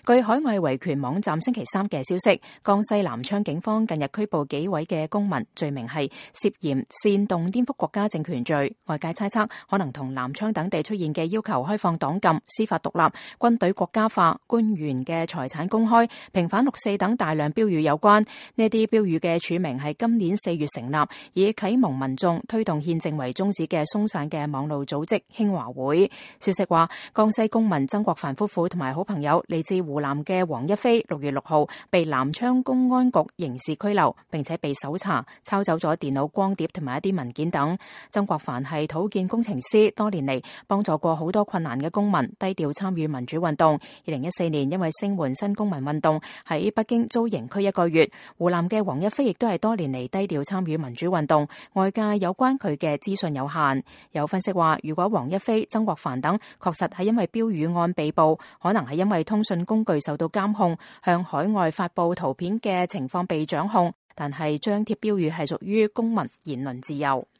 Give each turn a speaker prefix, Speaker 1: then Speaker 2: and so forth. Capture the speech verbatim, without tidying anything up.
Speaker 1: 據海外維權網站星期三嘅消息，江西南昌警方近日拘捕幾位嘅公民，罪名係涉嫌煽動顛覆國家政權罪。外界猜測可能同南昌等地出現嘅要求開放黨禁、司法獨立、軍隊國家化、官員嘅財產公開、平反六四等大量標語有關。呢啲標語嘅署名係今年四月成立，以啟蒙民眾推動憲政為宗旨嘅鬆散嘅網路組織興華會。消息話，江西公民曾國藩夫婦同埋好朋友嚟自湖南嘅黃一飛，六月六號被南昌公安局刑事拘留，並且被搜查，抄走咗電腦光碟同埋一啲文件等。曾國藩係土建工程師，多年嚟幫助過好多困難嘅公民，低調參與民主運動。二零一四年因為聲援新公民運動，喺北京遭刑拘一個月。湖南嘅黃一飛亦都係多年嚟低調參與民主運動，外界有關佢嘅資訊有限。有分析話，如果黃一飛、曾國藩等確實係因為標語案被捕，可能係因為通訊工具受到監控，向海外發布圖片嘅情況被掌控，但係張貼標語係屬於公民言論自由。